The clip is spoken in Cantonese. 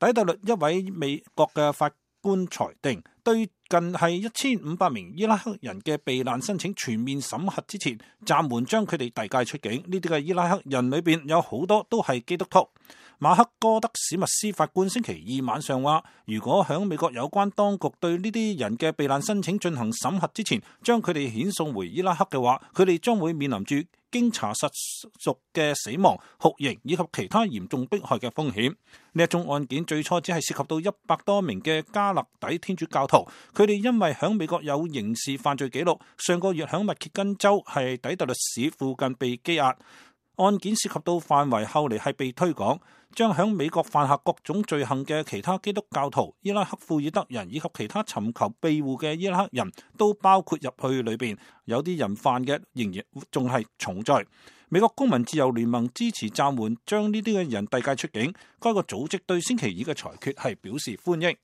底特律一位美國嘅法官裁定，對近係1500名伊拉克人嘅避難申請全面審核之前，暫緩將佢哋遞解出境。呢啲嘅伊拉克人裏邊有好多都係基督徒。馬克哥德史密斯法官星期二晚上話，如果響美國有關當局對呢啲人嘅避難申請進行審核之前，將佢哋遣送回伊拉克嘅話，佢哋將會面臨住經查實屬嘅死亡、酷刑以及其他嚴重迫害嘅風險。呢一宗案件最初只係涉及到100多名嘅加勒底天主教徒，佢哋因為響美國有刑事犯罪記錄，上個月響密歇根州係底特律市附近被羈押。案件涉及到範圍後嚟係被推廣，將響美國犯下各種罪行嘅其他基督教徒、伊拉克庫爾德人以及其他尋求庇護嘅伊拉克人都包括入去裏邊。有啲人犯嘅仍然仲係重罪。美國公民自由聯盟支持暫緩將呢啲嘅人遞解出境。該個組織對星期二嘅裁決係表示歡迎。